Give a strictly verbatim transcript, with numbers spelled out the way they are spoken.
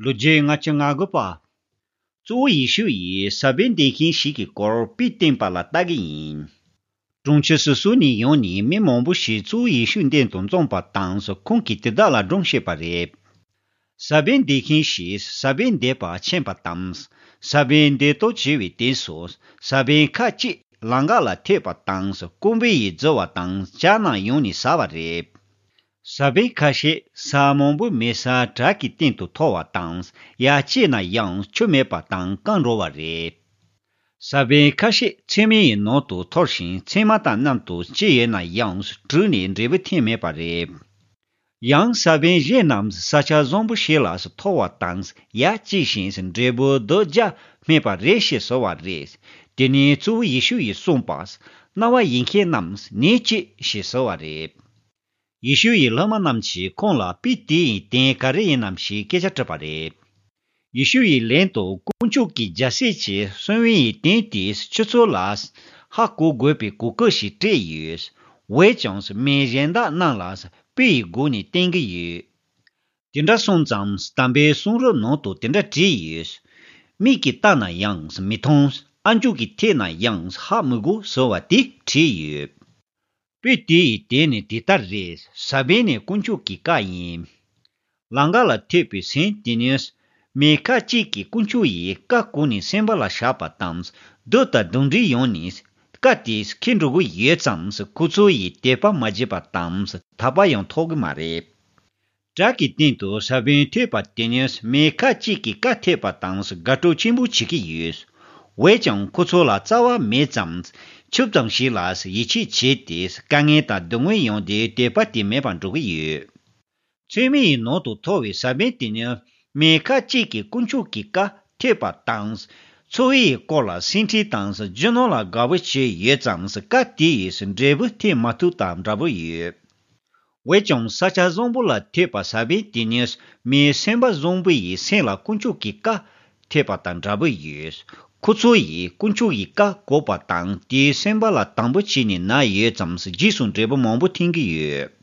ལོ་རྒྱུས་ལྔ་བཅུ་ང་དགུ་པ། གཙོ་བོ་ཡེ་ཤུ་ཡིས་ས་བོན་འདེབས་མཁན་ཞིག་གི་སྐོར་དཔེ་བསྟན་པ་ལ་ལྟ་གི་ཡིན། གྲོང་ཁྱེར་སོ་སོ་ནས་ཡོང་ནས་མི་མང་པོ་ཞིག་གཙོ་བོ་ཡེ་ཤུའི་མདུན་དུ་འཛོམས་པ་དང་ཁོང་གིས་དེ་དག་ལ་སྒྲུང་བཤད་པ་རེད། ས་བོན་འདེབས་མཁན་ཞིག་ས་བོན་འདེབས་པར་ཕྱིན་པ་དང་། ས་བོན་འདེབས་སྟོབས་ཆེ་བའི་དུས་སུ། ས་བོན་ཁ་ཅིག་ལམ་ཁ་ལ་ཐེབས་པ་དང་ཀོང་པོ་ཡིས་བརྫིས་པ་དང་ཇག་རྣམས་ཡོང་ནས་ཟ་བ་རེད། ས་བོན་ཁ་ཤས་ས་མང་པོ་མེད་སར་བྲག་གི་སྟེང་དུ་འཐོར་བ་དང་ཡར་སྐྱེས་ན་ཡང་ཆུ་མེད་པ་དང་སྐམ་འགྲོ་བ་རེད། ས་བོན་ཁ་ཤས་ཚེར་མའི་ནང་དུ་འཐོར་ཞིང་ཚེར་མ་དང་མཉམ་དུ་སྐྱེས་ཡོད་ན་ཡང་དྲུད་ནས་འབྲས་བུ་ཐོན་མེད་པ་རེད། ཡང་ས་བོན་གཞན་རྣམས་ས་ཆ་བཟང་པོ་ཞིག་ལ་འཐོར་བ་དང་ཡར་སྐྱེས་ཤིང་འབྲས་བུ་རྡོ་རྗེ་སྨིན་པ་རེད་ཞེས་ཟེར་བ་རེད། དེ་ནས་གཙོ་བོ་ཡེ་ཤུ་ཡིས་གསུངས་པ། རྣ་བ་ཡོད་མཁན་རྣམས་ཉོན་ཅིག་ཞེས་ཟེར་བ་རེད། ཡེ་ཤུ་ཡི་སློབ་མ་རྣམས་ཀྱིས་ཁོང་ལ་དཔེ་དེ་ཡི་དོན་ག་རེ་ཡིན་ནམ་ཞེས་སྐད་ཆ་དྲིས་པ་རེད། ཡེ་ཤུ་ཡིས་ལན་དུ་དཀོན་མཆོག་གི་རྒྱལ་སྲིད་ཀྱི་སྲོལ་ཡིན་དོན་དེས་ཁྱོད་ཚོ་ལ་ཧ་གོ་དགོས་པའི་གོ་སྐབས་ཤིག་སྤྲད་ཡོད། འོན་ཀྱང་མི་གཞན་དག་རྣམས་ལ་དཔེ་ཡི་སྒོ་ནས་བསྟན་གྱི་ཡོད། དེ་འདྲ་སོང་ཙང་དམ་པའི་གསུང་རབ་ནང་དུ་དེ་འདྲ་བྲིས་ཡོད། མིག་གིས་བལྟས་ན་ཡང་མི་མཐོང་། ཨ་མཆོག་གིས་ཐོས་ན་ཡང་ཧ་མི་གོ་ཟེར་བ་དེ་བྲིས་ཡོད། དཔེ་དེ་ཡི་དོན་ནི་དེ་ལྟར་རེད། ས་བོན་ནི་དཀོན་མཆོག་གི་བཀའ་ཡིན། ལམ་ཁ་ལ་ཐེབས་པའི་སེམས་དེ་ནི། མི་ཁ་ཅིག་གིས་དཀོན་མཆོག་ཡི་བཀའ་གོ་ནས་སེམས་པ་ལ་བཞག་པ་དང་། སྡུག་དང་གདོན་འདྲེ་ཡོང་ནས་བཀའ་དེ་ཁྱེར་འགྲོ་གི་ཡོད་ཙང་ཁོ་ཚོ་ཡིས་དད་པ་མ་བྱས་པ་དང་དད་པ་ཡང་ཐོབ་གི་མ་རེད། བྲག་གི་སྟེང་དུ་ས་བོན་ཐེབས་པ་དེ་ནི་མི་ཁ་ཅིག་གིས་བཀའ་ཐོས་པ་དང་དགའ་སྤྲོ་ཆེན་པོ་བྱེད་ཀྱི་ཡོད། འོན་ཀྱང་ཁོ་ཚོ་ལ་རྩ་བ་མེད་ཙང་ཆུ་ཙམ་ཞིག་ལ་ཡིད་ཆེས་བྱས་ཏེ་དཀའ་ངལ་དང་སྡུག་བསྔལ་ཡོང་དུས་དད་པ་དེ་མེད་པར་འགྲོ་གི་ཡོད། ཚེར་མའི་ནང་དུ་འཐོར་བའི་ས་བོན་དེ་ནི་མི་ཁ་ཅིག་གིས་དཀོན་མཆོག་གི་བཀའ་ཐོས་པ་དང་། འཚོ་བའི་སྐོར་ལ་སེམས་ཁྲལ་དང་རྒྱུ་ནོར་ལ་དགའ་བོ་བྱས་ཡོད་ཙང་བཀའ་དེ་ཡིས་འབྲས་བུ་ཐོན་མ་ཐུབ་དང་འདྲ་བོ་ཡོད། འོན་ཀྱང་ས་ཆ་བཟང་པོ་ལ་ཐོས་པ་ས་བོན་དེ་ནི་མི་སེམས་པ་བཟང་པོ་ཡི་སེམས་ལ་དཀོན་མཆོག་གི་བཀའ་ཐོས་པ་དང་འདྲ་བོ་ཡོད། ཁོ་ཚོ་ཡིས་དཀོན་མཆོག་གི་བཀའ་གོ་བ་དང་དེའི་སེམས་པ་ལ་དང་པོ་བྱས་ནས་ན་ཡོད་ཙང་རྗེས་སུ་འབྲས་བུ་མང་པོ་ཐོན་གྱི་ཡོད།